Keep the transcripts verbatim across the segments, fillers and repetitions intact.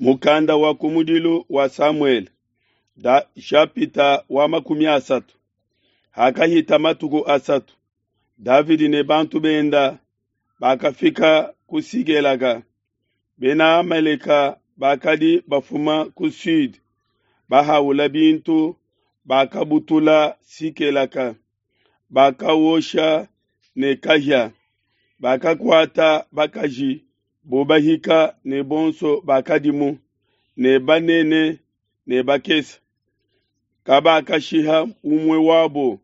Mukanda wa kumudilu wa Samuele da shapita wa makumi asatu. Hakahita matuku asatu, Davidi ne bantu benda bakafika ku Sigelaga. Bena Amaleka bakadi bafuma ku Sud, bahaula bintu, bakabutula Sikelaka, bakawosha ne kahia, bakakuata bakaji bo bahika ne bonso bakadimu, ne banene ne bakese. Kabakashiha umue wabo,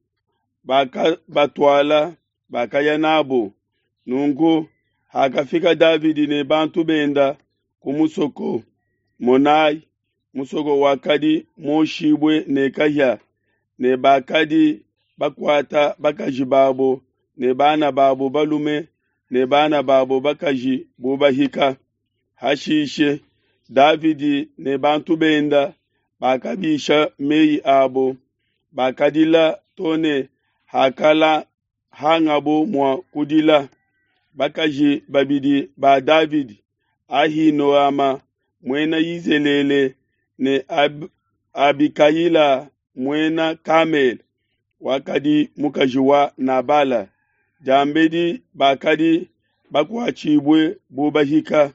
bakabatuala, bakaya nabo. Nunku hakafika Davidi ne bantu benda ku musoko, monai, musoko wakadi muoshibue ne kahia, ne bakadi bakuata bakaji babo ne bana babo balume ne bana babo bakaji bu bahika. Hashishe Davidi ne bantu benda bakabisha mei abo, bakadila to ne hakala hangabo mua kudila. Bakaji babidi ba Davidi, Ahinoama muena Yizelele ne Ab Abikayila muena Kamele, wakadi mukaji wa Nabala, diambedi bakadi bakuatshibue bu bahika.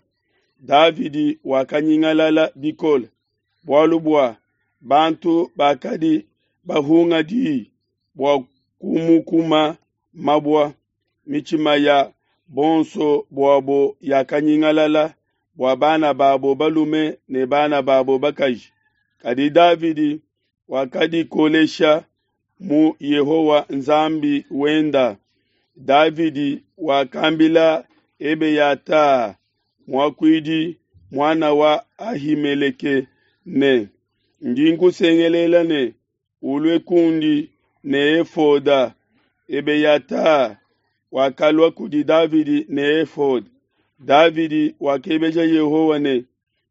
Davidi wakanyingalala bikole, bualu bua bantu bakadi bahunga di bua kumukuma mabua. Mitshima ya bonso buabo yakanyingalala bua bana babo balume ne bana babo bakaji. Kadi Davidi wakadikolesha mu Yehowa Nzambi wenda. Davidi wakambila Ebeyata muakuidi, muana wa Ahimeleke, ne, ndi nkusengelela ne, ulue kundi ne efoda. Ebeyata wakalua kudi Davidi ne efoda. Davidi wakebeja Yehowa ne,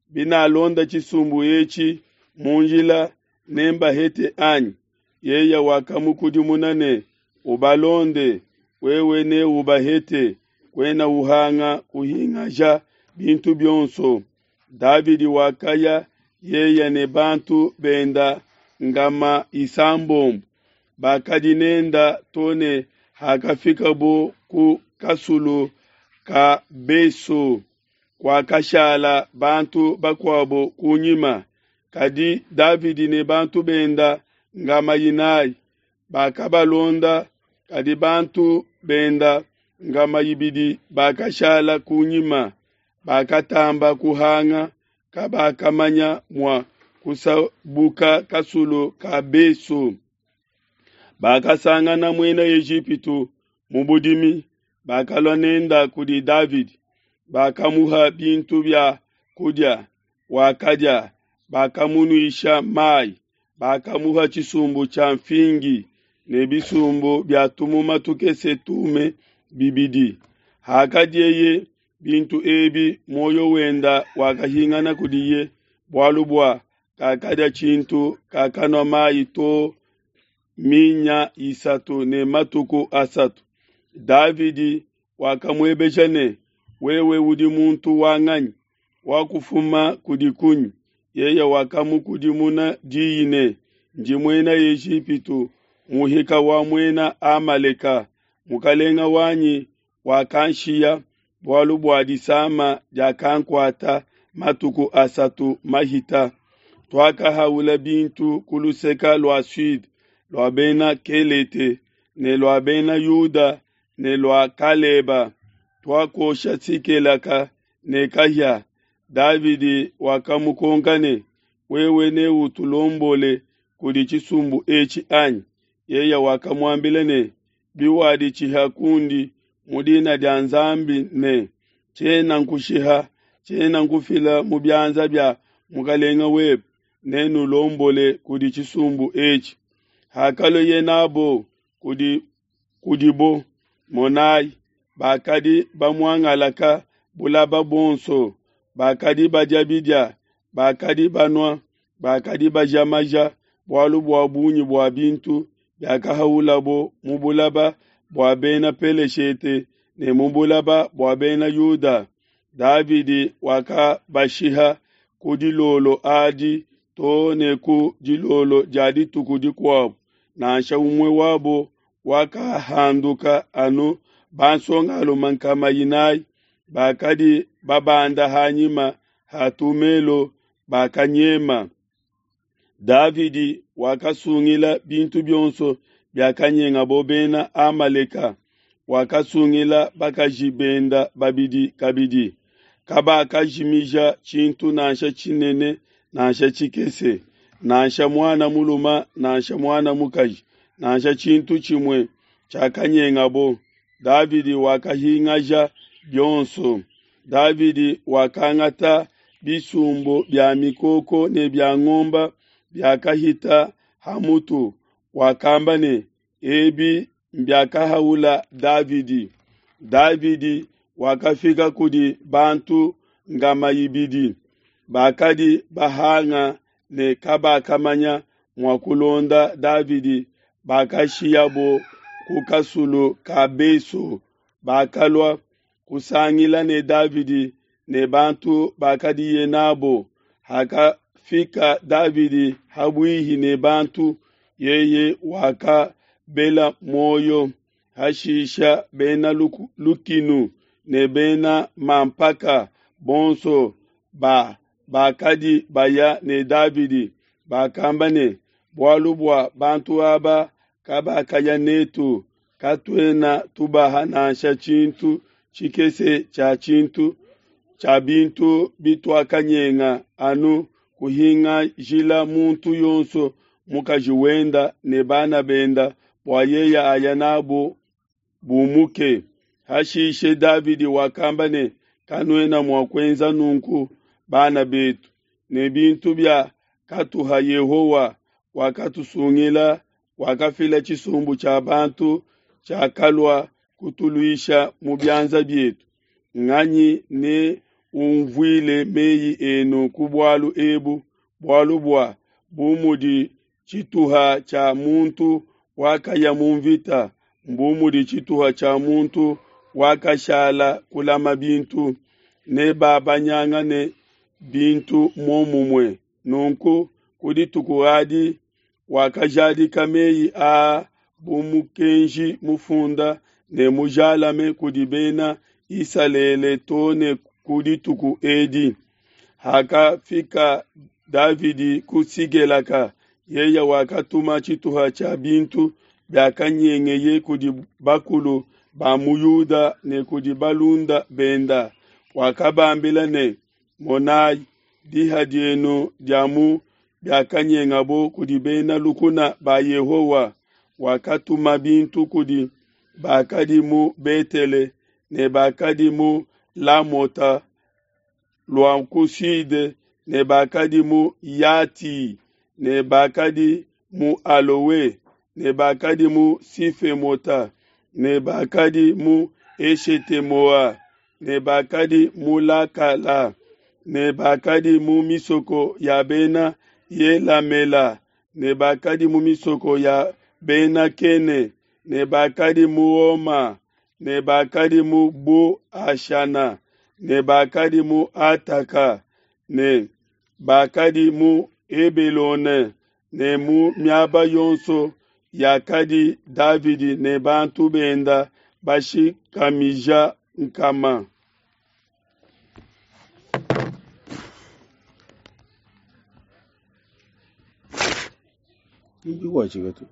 binalonda tshisumbu etshi mu njila, nembahete anyi? Yeye wakamukudimuna ne, ubalonde, wewe ne ubahete, kuena uhanga kuhingaja bintu bionso. Davidi wakaya yeye ne bantu benda ngama isambombo, bakadi nenda to ne hakafikabo ku kasulu ka Beso, kwakashala bantu bakuabo kunyima. Kadi Davidi ne bantu benda ngama inayi bakabalonda, kadi bantu benda ngama ibidi bakashala kunyima, bakatamba kuhanga, kabakamanya mua kusabuka kasulu ka Beso. Bakasangana muena Ejipitu mu budimi, bakalua nenda kudi Davidi, bakamuha bintu bia kudia, wakadia, bakamunuisha mai, bakamuha tshisumbu tshia mfingi ne bisumbu bia tumuma tukese tume bibidi. Hakadieye bintu ebi, muoyo wenda wakahingana kudiye, bualu bua kakadia tshintu, kakanua mai to minya isatu ne matuku asatu. Davidi wakamuebeja ne, wewe udi muntu wa nganyi? Wakufuma kudi kunyi? Yeye wakamukudimuna diyi ne, ndi muena Ejipitu, muhika wa muena Amaleka. Mukalenga wanyi wakanshiya bualu bua disama diakankuata matuku asatu mahita. Tuakahaula bintu ku luseke lua Sud lua bena Kelete ne lua bena Yuda ne lua Kaleba, tuakosha Sikelaka ne kahia. Davidi wakamukonka ne, wewe neutulombole kudi tshisumbu etshi anyi? Yeye wakamuambila ne, biwaditshiha kundi mu dina dia Nzambi ne, tshiena nkushiha, tshiena nkufila mu bianza bia mukalenga webe, nenulombole kudi tshisumbu etshi. Hakalueye nabo kudi kudibo, monai, bakadi bamuangalaka bulaba bonso, bakadi badia bidia, bakadi banua, bakadi baja maja, bualu bua bungi bua bintu biakahaulabo mu bulaba bua bena Peleshete ne mu bulaba bua bena Yuda. Davidi wakabashiha ku dilolo adi to ne ku dilolo dia dituku dikuabo, nansha umue wabo wakahanduka anu bansongalume nkama inayi bakadi babanda ha nyima ha tumelo bakanyema. Davidi wakasungila bintu bionso biakanyengabo Bena Amaleka, wakasungila bakaji benda babidi kabidi. Kabakajimija tshintu nansha tshinene nansha tshikese, nansha muana mulume nansha muana mukaji, nansha tshintu tshimue tshiakanyengabo. Davidi wakahingaja bionso. Davidi wakangata bisumbu bia mikoko ne bia ngombe biakahita ha mutu, wakamba ne, ebi mbiakahaula Davidi. Davidi wakafika kudi bantu ngama ibidi bakadi bahanga ne kabakamanya mua kulonda Davidi, bakashiyabo ku kasulu ka Beso, bakalua kusangila ne Davidi ne bantu bakadiye nabo. Hakafika Davidi habuihi ne bantu, yeye wakabela muoyo. Hashisha bena lukinu ne bena mampaka bonso ba bakadi baya ne Davidi bakamba ne, bualu bua bantu aba kabakaya netu, katuena tubaha nansha tshintu tshikese tshia tshintu tshia bintu bituakanyenga, anu kuhingajila muntu yonso mukaji wenda ne bana benda, bua yeye aya nabo bumuke. Hashishe Davidi wakamba ne, kanuena mua kuenza nunku, bana betu, ne bintu bia katuha Yehowa wakatusungila, wakafila tshisumbu tshia bantu tshiakalua kutuluisha mu bianza bietu. Nganyi ne unvuile meyi enu ku bualu ebu? Bualu bua bu mudi tshituha tshia muntu wakaya mu mvita, mbu mudi tshituha tshia muntu wakashala kulama bintu, ne babanyangane bintu muomumue. Nunku ku dituku adi wakajadika meyi aa bu mukenji mufunda ne mujalame kudi Bena Isalele to ne ku dituku edi. Hakafika Davidi ku Sigelaka, yeye wakatuma tshituha tshia bintu biakanyengeye kudi bakulu ba mu Yuda ne kudi balunda benda. Wakabambila ne, monai, diha dienu dia mu biakanyengabo kudi bena lukuna ba Yehowa. Wakatuma bintu kudi bakadi mu Betele ne bakadi mu Lamota lua ku sude ne bakadi mu Yati ne bakadi mu Alowe ne bakadi mu Sifemota ne bakadi mu Eshetemoa ne bakadi mu Lakala ne bakadi mu misoko ya bena Yelamela ne bakadi mu misoko ya bena Kene ne bakadi mu Oma ne bakadi mu Bo Ashana ne bakadi mu Ataka ne bakadi mu Hebelone ne mu miaba yonso yakadi Davidi ne bantu benda bashikamija nkama. Ndi wachika tu.